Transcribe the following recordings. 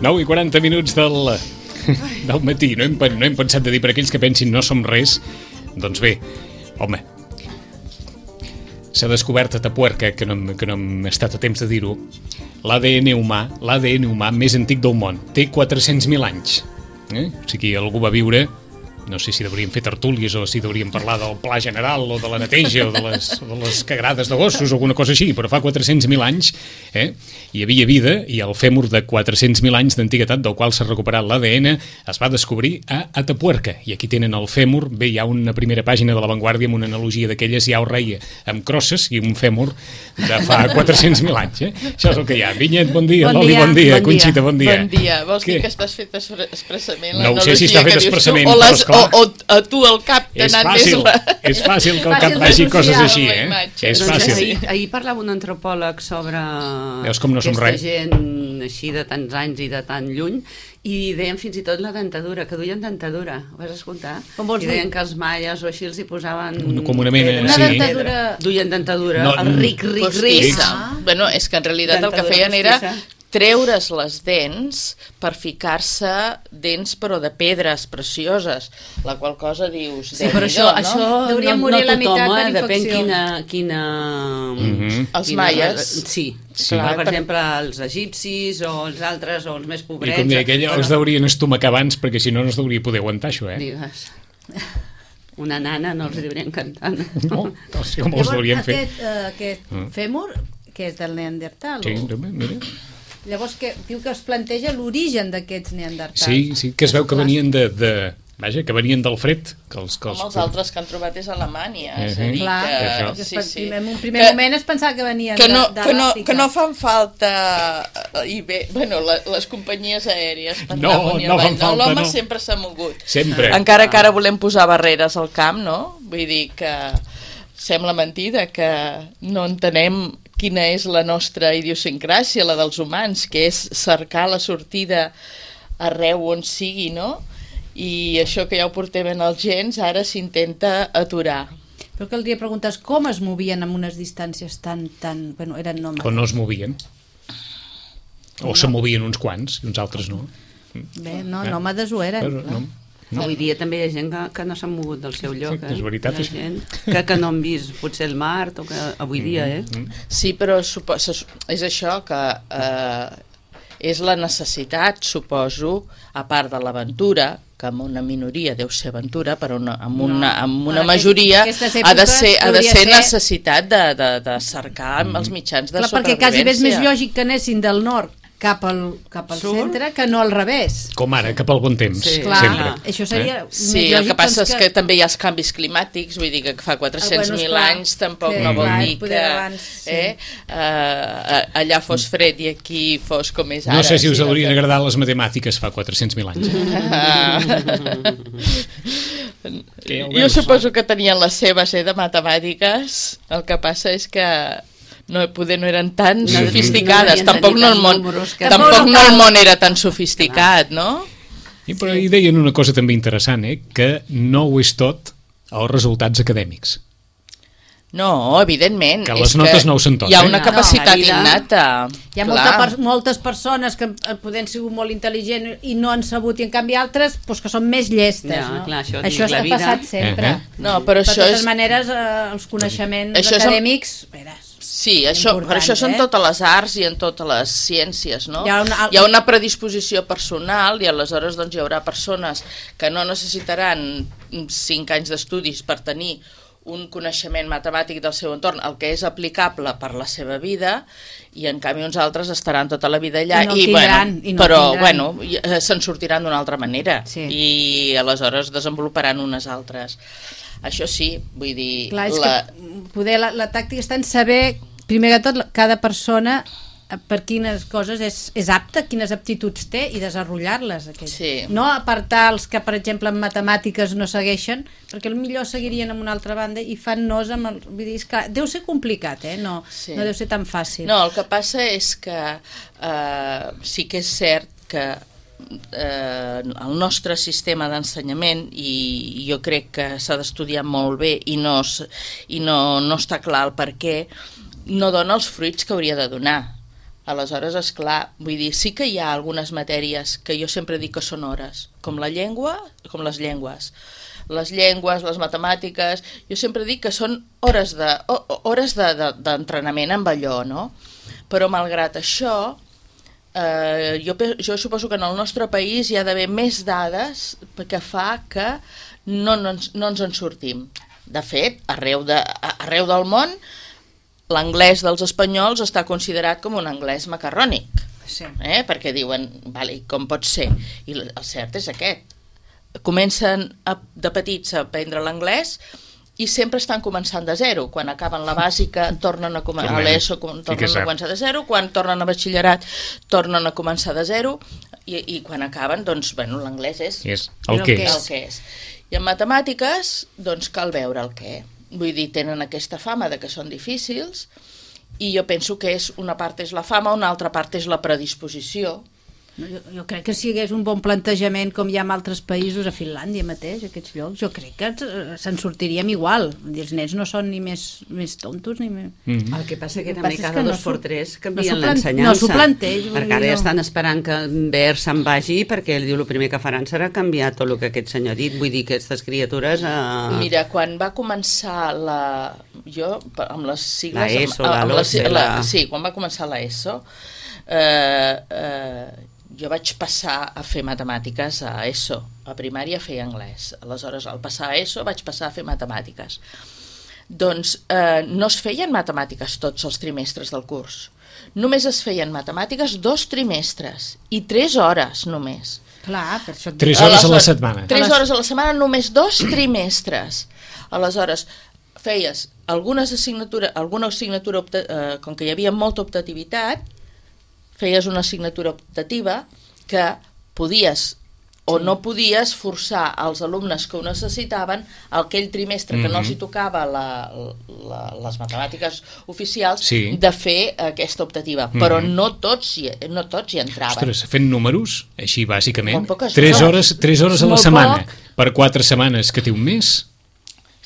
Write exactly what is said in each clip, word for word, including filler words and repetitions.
nou i quaranta minuts del, del matí. No hem, no hem pensat de dir per aquells que pensin no som res. Doncs bé, home, s'ha descobert a Tapuerca, que no, que no hem estat a temps de dir-ho, l'A D N humà, l'A D N humà més antic del món. Té quatre-cents mil anys. Eh? O sigui, algú va viure... No sé si hauríem fer tertúlies o si hauríem parlar del pla general o de la neteja o de les, de les cagrades de gossos o alguna cosa així, però fa quatre-cents mil anys eh, hi havia vida i el fèmur de quatre-cents mil anys d'antiguitat del qual s'ha recuperat l'A D N es va descobrir a Atapuerca. I aquí tenen el fèmur, bé, hi ha una primera pàgina de La Vanguardia amb una analogia d'aquelles, hi ha un rei amb crosses i un fèmur de fa quatre-cents mil anys. Eh? Això és el que hi ha. Vinyet, bon dia. Bon Loli, dia. bon dia. Bon Conxita, bon dia. Bon dia. Vols Què? dir que estàs fet expressament No ho sé si està fet expressament, o, però les, esclar. o, o a tu al cap t'ha És anat fàcil, més la... és fàcil que al És cap fàcil vagi d'associar coses així, amb la eh? imatge. És Doncs fàcil. ahir, ahir parlava un antropòleg sobre Veus com no som aquesta res? gent així de tants anys i de tan lluny, i deien fins i tot la dentadura, que duien dentadura. Ho vas escoltar? Com vols I deien dir? que els maies o així els hi posaven... Una- com una mena, pedra, sí. pedra. dentadura- Duien dentadura, No, el ric, ric, ric. Postissa. Bueno, és que en realitat el que Dentadura feien era postissa. treure's les dents per ficar-se dents però de pedres precioses, la qual cosa dius... Sí, però això, Déu-n'hi-do, això no? Hauria no, morir no la tothom, meitat per eh? Depèn infecció. quina... quina Mhm. Els quina- maies. Sí, Sí. Però, per Per- exemple, els egipcis o els altres, o els més I pobrets... com deia aquella, bueno, els deurien estomacar abans perquè si no no es deuria poder aguantar això, eh? Digues. Una nana no els diurien cantant. No, o sigui, com els Llavors, deurien fer. aquest, eh, aquest Mm. fèmur, que és del Neandertal, Sí, o... també, mira. llavors que, diu que es planteja l'origen d'aquests Neandertals. Sí, sí, que es veu que venien de... de vaja, que venien del fred. Que els, que Com els... els altres que han trobat és a Alemanya. Eh, És a dir, Clar, Això. que, que, que sí, sí. en un primer Que- moment es pensava que venien que no, de, de que, no, l'Àfrica. que no fan falta i bé, bueno, la, les companyies aèries per No, anar amunt i no avall, fan falta, l'home no. sempre s'ha mogut. Sempre. Encara que ara volem posar barreres al camp, no? Vull dir que sembla mentida que no entenem quina és la nostra idiosincràsia, la dels humans, que és cercar la sortida arreu on sigui, no? I això que ja ho portem en els gens, ara s'intenta aturar. Però caldria preguntar com es movien amb unes distàncies tan... tan bueno, eren nòmades. O no es movien. O se movien uns quants i uns altres no. Bé, no, Eh? nòmades ho eren. Però, clar. no, no. Avui dia també hi ha gent que, que no s'han mogut del seu lloc. Sí, és Eh? veritat, Hi ha és- gent que, que no han vist potser el Mart, o que avui dia, eh? Sí, però supo- se- és això que eh, és la necessitat, suposo, a part de l'aventura, que amb una minoria deu ser aventura, però una, amb una, amb una en majoria aquestes ha de èpoques ser, ha de hauria ser ser- necessitat de, de, de cercar Mm. els mitjans de Clar, perquè quasi bé és més supervivència. lògic que anessin del nord cap al, cap al Surt. centre que no al revés. Com ara, cap al bon temps. Sí. Clar, Sempre. això seria més Sí, lògic. el que passa doncs, és que també hi ha els canvis climàtics, vull dir que fa quatre-cents mil Ah, bueno, esclar, anys tampoc que, no vol clar, dir poder que abans, sí. eh, eh, allà fos fred i aquí fos com és ara. No sé si us sí, haurien que- agradar les matemàtiques fa quatre-cents mil anys. Que ja ho Jo veus. suposo que tenien les seves eh, de matemàtiques, el que passa és que no, poder no eren tan No, sofisticades, no devien tampoc tenir no el tants món, números que- tampoc no el món era tan sofisticat, no? I, però hi deien una cosa també interessant, eh? Que no ho és tot els resultats acadèmics. No, evidentment. Que és les notes no ho són tot, Hi ha eh? una No, capacitat la vida- innata. Hi ha molta per, moltes persones que eh, poden ser molt intel·ligents i no han sabut, i en canvi altres pues, que són més llestes. Ja, no? clar, això això dic, la ha vida- passat sempre. Uh -huh. No, però de això totes és... maneres, eh, els coneixements Això és- acadèmics... Veràs, Sí, això, important, però això són eh? totes les arts i en totes les ciències, no? Hi ha una- hi ha una predisposició personal i aleshores doncs, hi haurà persones que no necessitaran cinc anys d'estudis per tenir un coneixement matemàtic del seu entorn, el que és aplicable per la seva vida, i en canvi uns altres estaran tota la vida allà I no el tindran, bueno, i no el però tindran. bueno, i, eh, se'n sortiran d'una altra manera Sí. i aleshores desenvoluparan unes altres. Això sí, vull dir... Clar, és la... que poder, la, la tàctica està en saber, primer que tot, la- cada persona eh, per quines coses és, és apta, quines aptituds té i desenvolupar-les. Sí. No apartar els que, per exemple, en matemàtiques no segueixen, perquè millor seguirien en una altra banda i fan nos amb el... Vull dir, és que deu ser complicat, eh? No, Sí. no deu ser tan fàcil. No, el que passa és que eh, sí que és cert que eh, el nostre sistema d'ensenyament, i jo crec que s'ha d'estudiar molt bé i, no, s- i no, no està clar el per què, no dona els fruits que hauria de donar. Aleshores, és clar, vull dir, sí que hi ha algunes matèries que jo sempre dic que són hores, com la llengua, com les llengües. Les llengües, les matemàtiques, jo sempre dic que són hores de, hores de, de, d'entrenament amb allò, no? Però malgrat això, eh, jo, jo suposo que en el nostre país hi ha d'haver més dades que fa que no, no, ens, no ens en sortim. De fet, arreu, de, arreu del món, l'anglès dels espanyols està considerat com un anglès macarrònic, sí. eh? Perquè diuen, vale, com pot ser? I el cert és aquest. Comencen a, de petits a aprendre l'anglès i sempre estan començant de zero. Quan acaben la bàsica, tornen a, com a l'ESO, tornen a començar de zero. Quan tornen a batxillerat, tornen a començar de zero. I, i quan acaben, doncs, bueno, l'anglès és, és el, el, que és. el que és. I en matemàtiques, doncs, cal veure el què. Vull dir, tenen aquesta fama de que són difícils i jo penso que és una part és la fama, una altra part és la predisposició. Jo, jo crec que si hi hagués un bon plantejament com hi ha en altres països, a Finlàndia mateix, aquests llocs, jo crec que se'n sortiríem igual. Els nens no són ni més, més tontos ni més... Mm-hmm. El que passa que també passa cada que dos no per tres canvien no l'ensenyança. No s'ho planteix. Perquè ara ja estan esperant que Ver se'n vagi perquè ell diu el primer que faran serà canviar tot el que aquest senyor ha dit. Vull dir que aquestes criatures... Eh... Mira, quan va començar la... Jo, amb les sigles... La ESO, amb, la amb LOCE, la, la... Sí, quan va començar la ESO... Eh, eh, jo vaig passar a fer matemàtiques a ESO, a primària feia anglès, aleshores al passar a ESO vaig passar a fer matemàtiques. Doncs eh, no es feien matemàtiques tots els trimestres del curs, només es feien matemàtiques dos trimestres i tres hores només. Clar, per això... Tres hores a la setmana. Tres hores a la setmana, només dos trimestres. Aleshores, feies algunes assignatures, alguna assignatura, eh, com que hi havia molta optativitat, feies una assignatura optativa que podies o sí. no podies forçar als alumnes que ho necessitaven aquell trimestre que mm-hmm. no els hi tocava la, la, les matemàtiques oficials sí. de fer aquesta optativa, mm-hmm. però no tots, hi, no tots hi entraven. Ostres, fent números, així bàsicament, tres hores, tres hores a la setmana, poc. Per quatre setmanes que té un mes...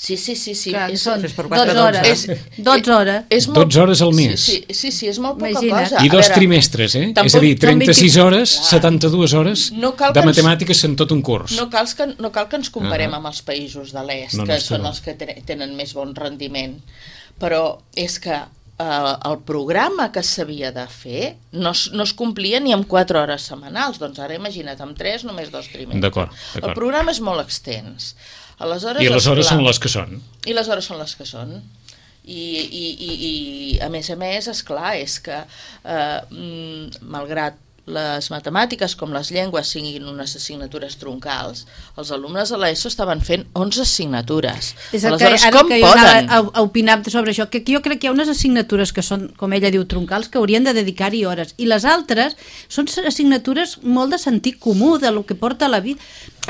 Sí, sí, sí, sí. Clar, és, són dotze hores. És, dotze hores. És molt, dotze hores al mes. Sí, sí, sí, sí és molt poca Imagina't. cosa. I dos veure, trimestres, eh? Tampoc, és a dir, trenta-sis hores, clar. setanta-dues hores no de matemàtiques en tot un curs. No cal que, no cal que ens comparem uh-huh. amb els països de l'est, no, no, que són no. els que tenen més bon rendiment. Però és que eh, el programa que s'havia de fer no, no es complia ni amb quatre hores setmanals. Doncs ara imagina't, amb tres, només dos trimestres. D'acord, d'acord. El programa és molt extens. Aleshores, I les hores són les que són. I les hores són les que són. I, i, i, i a més a més, esclar, és que eh, malgrat les matemàtiques com les llengües siguin unes assignatures troncals, els alumnes de l'ESO estaven fent onze assignatures. És el Aleshores, que, ara com que poden? Jo a, a opinar sobre això, que jo crec que hi ha unes assignatures que són, com ella diu, troncals, que haurien de dedicar-hi hores, i les altres són assignatures molt de sentit comú, de lo que porta la vida,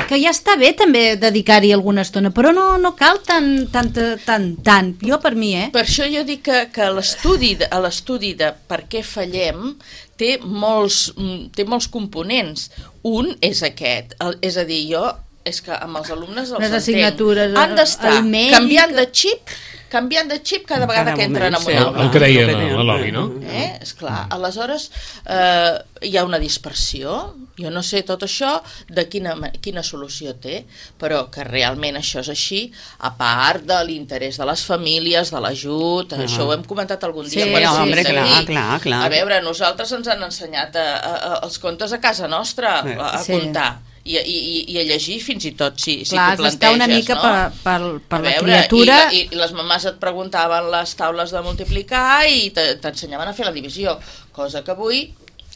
que ja està bé també dedicar-hi alguna estona, però no, no cal tant, tant, tant, tant, jo per mi, eh? Per això jo dic que, que l'estudi a l'estudi de per què fallem té molts, té molts components. Un és aquest, el, és a dir, jo és que amb els alumnes els entenc, han d'estar canviant de xip canviant de xip cada vegada cada que entren en un aula. El que deia l'Oli, no? Eh? Esclar, aleshores eh, hi ha una dispersió, jo no sé tot això de quina, quina solució té, però que realment això és així, a part de l'interès de les famílies, de l'ajut, uh-huh. això ho hem comentat algun dia. Sí, home, clar, clar, clar. A veure, nosaltres ens han ensenyat a, a, a, els contes a casa nostra, a, a sí. comptar. I, i, i a llegir fins i tot si, clar, si t'ho planteges, una mica no? per, per, per veure, la criatura i, i, i les mamàs et preguntaven les taules de multiplicar i t'ensenyaven a fer la divisió, cosa que avui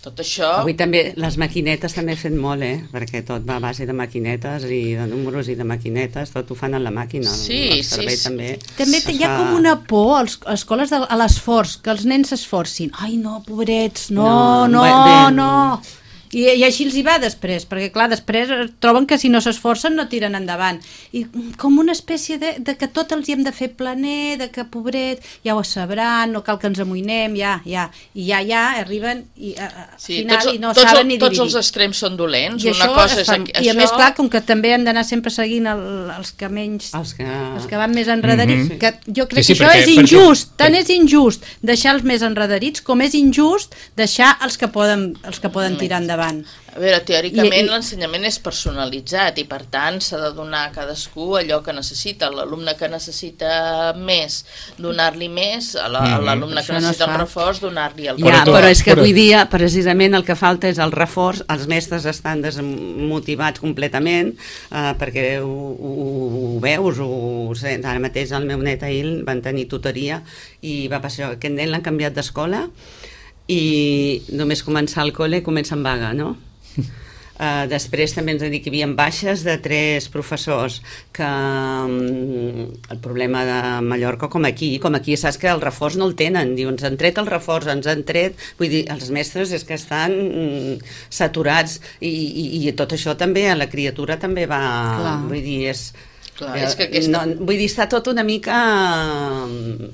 tot això... Avui també les maquinetes també he fet molt, eh? Perquè tot va a base de maquinetes i de números i de maquinetes, tot ho fan en la màquina. Sí, sí, sí. També, també hi ha com una por als, a escoles de, a l'esforç, que els nens s'esforcin. Ai no, pobrets, no, no, no, no. I, i així els hi va després, perquè clar, després troben que si no s'esforcen no tiren endavant. I com una espècie de, de que tot els hi hem de fer planer, de que pobret, ja ho sabran, no cal que ens amoïnem, ja, ja, i ja, ja, arriben i a, a sí, final tots, i no tots, saben ni tots dividir. els extrems són dolents. I una cosa és fa, aquí, I a això... més, clar, com que també hem d'anar sempre seguint el, els que menys... Els que... els que van més enredarits, Mhm. que jo crec Sí, sí, que això perquè- és injust, perquè- tant és injust deixar els més enredarits com és injust deixar els que poden, els que poden tirar endavant. A veure, teòricament I- i- l'ensenyament és personalitzat i per tant s'ha de donar a cadascú allò que necessita. L'alumne que necessita més, donar-li més, a la- a Mhm. l'alumne Això que no es necessita fa. un reforç, donar-li el Ja, Però tu- però és que però- avui dia, precisament, el que falta és el reforç. Els mestres estan desmotivats completament, eh, perquè ho, ho, ho veus, ho sents. Ara mateix el meu net ahir van tenir tutoria i va passar això. Aquest nen l'han canviat d'escola i només començar el col·le comença en vaga, no? Uh, després també ens ha dit que hi havia baixes de tres professors, que um, el problema de Mallorca, com aquí, com aquí saps que el reforç no el tenen, diu, ens han tret el reforç, ens han tret, vull dir, els mestres és que estan mm, saturats i, i, i tot això també, a la criatura també va, Clar. vull dir, és... Clar, eh, és que aquesta... no, vull dir, està tot una mica...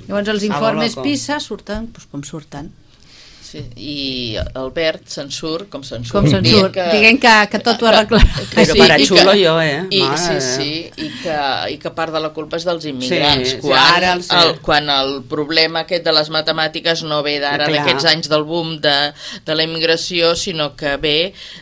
Llavors els a lo informes loco. PISA surten doncs, com surten. Sí, i Albert se'n surt com se'n surt. Com se'n Dient surt, dient que, que tot ho arreglarà. Però para xulo jo, eh? I, Mare sí, de sí, i que, i que part de la culpa és dels immigrants. Sí, sí, quan, ara el sé. el, quan el problema aquest de les matemàtiques no ve d'ara, Clar. d'aquests anys del boom de, de la immigració, sinó que ve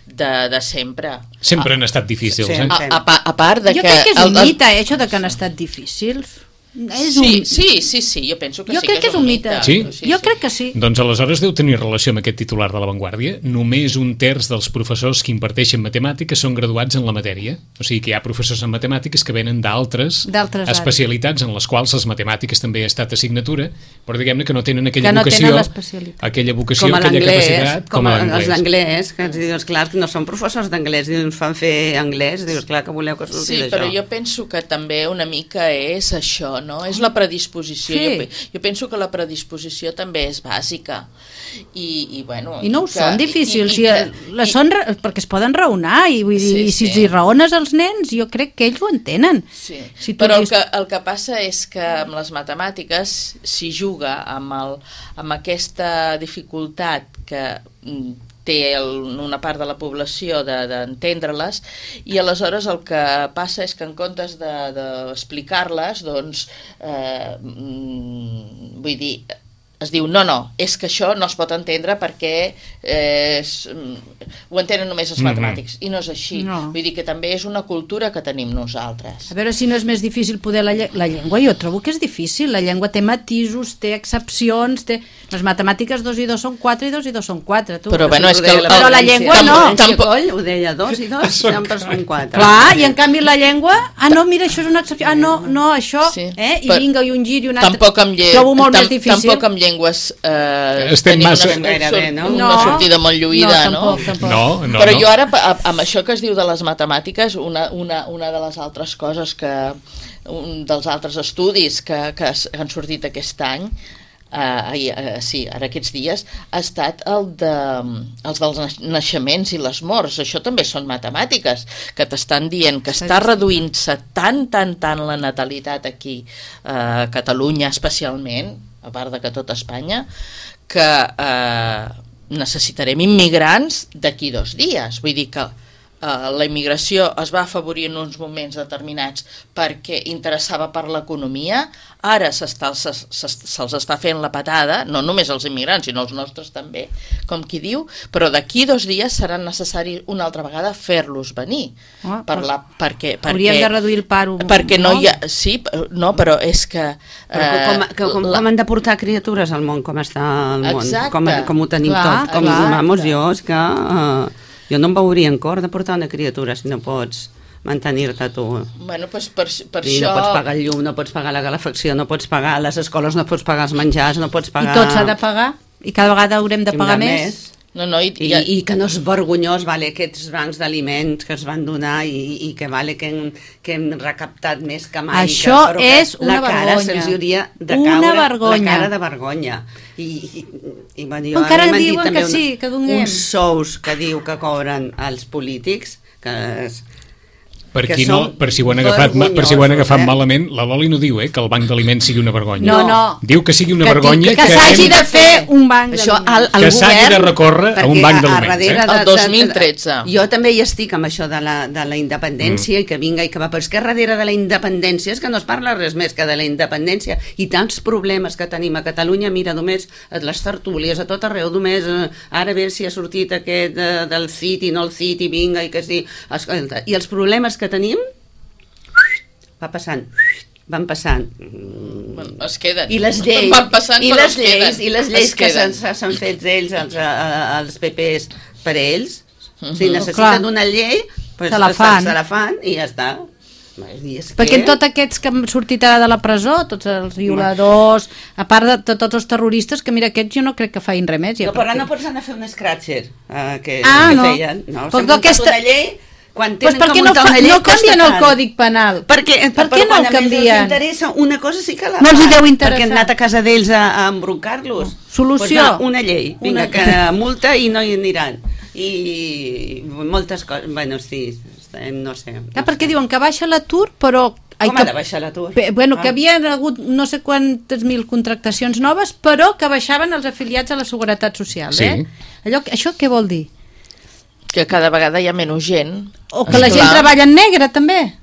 de, de sempre. Sempre han estat difícils, Sí. eh? A, a, pa- a part de Jo que... crec que és un el- el- mite, eh, això de que han estat difícils. És Sí, un... sí, sí, sí, jo penso que Jo sí crec que és un mite. Sí? Jo crec que sí. Doncs aleshores deu tenir relació amb aquest titular de La Vanguardia. Només un terç dels professors que imparteixen matemàtiques són graduats en la matèria. O sigui que hi ha professors en matemàtiques que venen d'altres D'altres àrees. especialitats en les quals les matemàtiques també ha estat assignatura, però diguem-ne que no tenen aquella Que no vocació, tenen l'especialitat. aquella vocació, Com a aquella l'anglès, capacitat, com, a a, els l'anglès. d'anglès, que ens dius, clar, que no són professors d'anglès, dius, ens fan fer anglès, dius, clar, que voleu que surti Sí, d'això. però jo penso que també una mica és això, no? És la predisposició. Sí. Jo, pe- jo penso que la predisposició també és bàsica. I, i, bueno, I no ho que, són difícils, i, i, i, i, la són, ra- perquè es poden raonar, i, vull dir, Sí, i si sí. els hi raones als nens, jo crec que ells ho entenen. Sí. Si tu Però el els- que, el que passa és que amb les matemàtiques s'hi juga amb, el, amb aquesta dificultat que mm, té el, una part de la població de- d'entendre-les, i aleshores el que passa és que en comptes d'explicar-les, de, doncs, eh, mm, vull dir, es diu, no, no, és que això no es pot entendre perquè eh, és, mm, ho entenen només els Mhm. matemàtics, i no és així. No. Vull dir que també és una cultura que tenim nosaltres. A veure si no és més difícil poder la, lle- la llengua, jo trobo que és difícil, la llengua té matisos, té excepcions, té... les matemàtiques dos i dos són quatre i dos i dos són quatre, tu. Però, bueno, és que el- Però la València. llengua La no. València Tampoc- Coll ho deia, dos i dos sempre són quatre. Clar, i en canvi la llengua, ah no, mira, això és una excepció, ah no, no, això, Sí. eh, i Però vinga, i un gir i un altre. Tampoc amb, lle... Trobo molt tam més difícil. tampoc amb llengües eh, Estem tenim massa- una, Gairebé, no? una No. sortida molt lluïda, No, no? tampoc, tampoc. No, no, Però no. jo ara, a- amb això que es diu de les matemàtiques, una, una, una de les altres coses que, un dels altres estudis que, que es- han sortit aquest any, eh, eh, sí, ara aquests dies, ha estat el de, els dels naix- naixements i les morts. Això també són matemàtiques, que t'estan dient que està reduint-se tant, tant, tant la natalitat aquí, eh, a Catalunya especialment, a part de que tot Espanya, que eh, necessitarem immigrants d'aquí dos dies. Vull dir que eh, la immigració es va afavorir en uns moments determinats perquè interessava per l'economia, ara s'està- se- se- se'ls està fent la patada, no només els immigrants, sinó els nostres també, com qui diu, però d'aquí dos dies serà necessari una altra vegada fer-los venir. Ah, per la, perquè, perquè, Hauríem de reduir el paro. perquè no, hi ha... Sí, no, però és que... Però eh, com, com, com, la- com han de portar criatures al món, com està el món, Exacte. com, com ho tenim Clar, tot. Com, clar. vamos, jo, és que uh, jo no em veuria en cor de portar una criatura si no pots mantenir-te tu. Bueno, doncs per, per I això... no pots pagar el llum, no pots pagar la calefacció, no pots pagar les escoles, no pots pagar els menjars, no pots I pagar... tot s'ha de pagar, i cada vegada haurem de Hem pagar de més. més. No, no, i, I, i, i que no és vergonyós, vale, aquests bancs d'aliments que es van donar i, i que vale que hem, que hem recaptat més que mai. Això que, que és una la cara vergonya. se'ls hauria de Una caure vergonya. la cara de vergonya. I, i, i bueno, jo, Encara a mi m'han dit diuen també que sí, que donem. uns sous que diu que cobren els polítics, que és, Per, que qui no, són per si ho han agafat, per si ho han agafat vergonyosos, eh? malament, la Loli no diu eh, que el banc d'aliments sigui una vergonya. No, no. Diu que sigui una Que vergonya Que s'hagi hem- de fer un banc això d'aliments. al, al Que s'hagi govern, de recórrer a un perquè banc a- a d'aliments, darrere eh? de- El dos mil tretze. de- Jo també hi estic amb això de la, de la independència mm. i que vinga i que va, però és que darrere de la independència és que no es parla res més que de la independència i tants problemes que tenim a Catalunya, mira, només a les tertúlies, a tot arreu, només eh, ara a veure si ha sortit aquest eh, del C I T i no el C I T i vinga i que sí, escolta, i els problemes que tenim va passant, van passant. Bueno, es queden. I les lleis, Van passant, i però les es queden. lleis, i les lleis Es que queden. s'han s'han fet ells, els, a- els P Ps, per ells, Mhm. si necessiten Clar. una llei, pues Se la fan. se la fan i ja està. I és Perquè que- en tots aquests que han sortit ara de la presó, tots els violadors, a part de, de tots els terroristes, que mira, aquests jo no crec que feien res més. Ja, No, però ara perquè- no pots anar a fer un scratcher, eh, que, Ah, que no. feien. No, Pues s'han no, muntat aquesta- una llei, quan Pues tenen per que què no, muntar fa, una llei no canvien costa el car. Còdic Penal? Perquè, Per però què no quan el a més els canvien? interessa una cosa sí que la No els hi fan, deu interessar. perquè han anat a casa d'ells a, a embroncar-los. Solució. Pues va, una llei, vinga, Una- que multa i no hi aniran. I moltes coses, bueno, sí, no sé. Ah, perquè diuen que baixa l'atur, però... Ai, Com que, ha de baixar l'atur? Bé, Bueno, que Ah. havien hagut no sé quantes mil contractacions noves, però que baixaven els afiliats a la Seguretat Social, Sí. eh? Allò, això què vol dir? Que cada vegada hi ha menys gent. O que la Esclar. gent treballa en negre, també.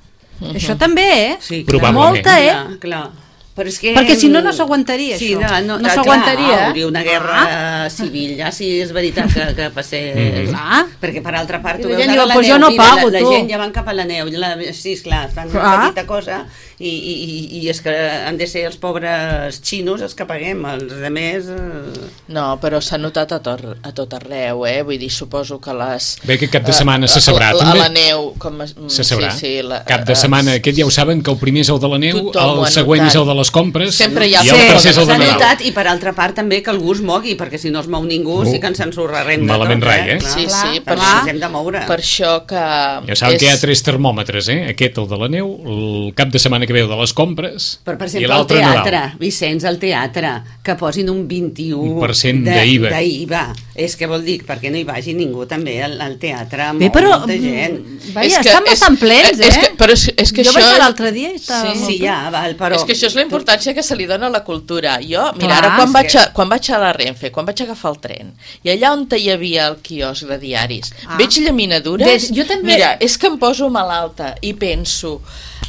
Això també, eh? Sí, Probablement. Molta, eh? Clar, clar. Però és que... Perquè si no, no s'aguantaria, sí, això. No, no, No clar, s'aguantaria, eh? hauria una guerra ah. civil, ja si és veritat que, que passés... Mhm. Clar. Perquè per altra part, tu I la veus gent ara diu, la "Pues neu, jo no mira, pago, la, tu." la gent ja van cap a la neu, la, sí, esclar, fan una Clar. petita cosa i, i, i, i és que han de ser els pobres xinos els que paguem, els altres... Eh... No, però s'ha notat a tot, a tot arreu, eh? Vull dir, suposo que les... Bé, que cap de setmana se sabrà, a, a, també. A la neu, com... es- Se sabrà. Sí, sí, la, Cap de setmana, aquest ja ho saben, que el primer és el de la neu, Tothom ho el ha següent és notat. el de les compres Sempre hi ha i el Sí, tercer és el de S'ha Nadal. notat, i per altra part també que algú es mogui, perquè si no es mou ningú Uh, sí que ens ensorrarem de malament tot, rai, eh? Clar, Sí, clar, sí, per per això això- ens hem de moure. Per això que... Ja saben que hi ha tres termòmetres, eh? Aquest, el de la neu, el cap de setmana que ve el de les compres Però, per i exemple, el l'altre teatre, Nadal. Vicenç, el teatre, que posin un vint-i-u Un per cent de- d'I V A. d'I V A. És que vol dir, perquè no hi vagi ningú també al, al teatre, Bé, molt, però... molta gent. Vaja, És que estan és- bastant plens, eh? és que- però és- és que jo això- vaig anar l'altre dia i estava Sí, molt Sí, ple. ja, val, però... És que això és la importància que se li dona a la cultura. Jo, mira, Clar, ara quan és vaig, que- a, quan vaig a la Renfe, quan vaig agafar el tren, i allà on hi havia el quiosc de diaris, Ah. veig llaminadures, Des- jo també- mira, és que em poso malalta i penso,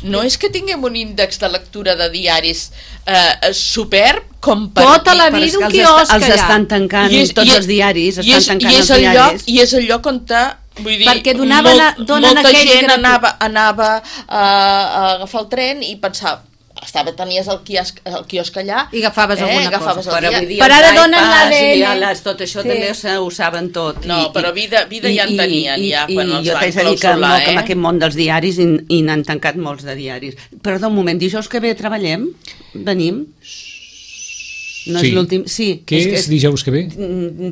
no és que tinguem un índex de lectura de diaris eh, superb com per Tota la Però és vida que un els, quiosc est- els allà. estan tancant, I és- tots i és- els diaris, i estan és, tancant i és els el diaris. lloc, I és el lloc on te, vull dir, Perquè donaven a- donen molta aquells gent gratuïts. anava, anava a, a agafar el tren i pensava, estava, tenies el quiosc, el quiosc allà I agafaves alguna agafaves cosa. el Però dia. avui dia Per ara els donen iPads l'A D N. i ja les, tot això Sí. també se- ho saben tot. No, però vida- vida ja en tenien, ja, quan els jo van t'haig de dir que, clausurar, no, que amb eh? aquest món dels diaris i, i n'han tancat molts de diaris. Perdó, un moment, dijous que ve treballem? Venim? No Sí. és l'últim... Sí. Què és, que és dijous que ve?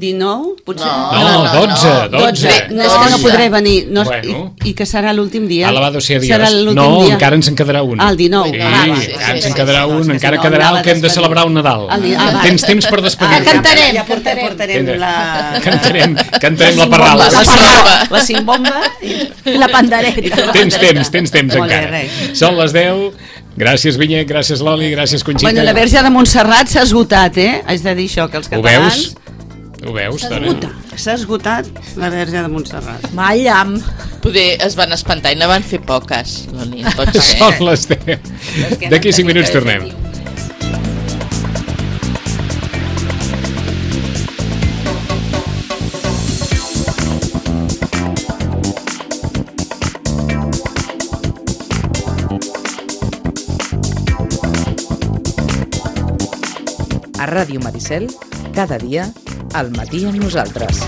dinou, potser? No, No, no, no, dotze, no. dotze. No, és que no podré venir. No, Bueno. i, I que serà l'últim dia. Alabado sea Dios. Serà l'últim No, dia. encara ens en quedarà un. Ah, el dinou. Sí, Ah, va, sí, encara ens sí, en sí, quedarà sí, un, no, és que encara si no, quedarà anava el que hem de despedir. celebrar un Nadal. El dia- ah, va. Tens temps per despedir-te. Ah, cantarem, ja portarem, portarem cantarem. la... Cantarem, cantarem la cimbomba, parrala. La cimbomba. La cimbomba. I... I la pandereta. Tens temps, tens temps Molt bé, encara. res. Són les deu. Gràcies, Vinyet, gràcies, Loli, gràcies, Conxita. Bueno, la Verge de Montserrat s'ha esgotat, eh? Haig de dir això, que els Ho catalans... veus? Ho veus, dona? S'esgota. S'ha esgotat la Verge de Montserrat. Mallam. Poder es van espantar i ne van fer poques. No, ni pot ser. Són les deu. És que D'aquí no cinc tenim minuts que tornem. fer-hi. A Ràdio Maricel, cada dia, al matí amb nosaltres.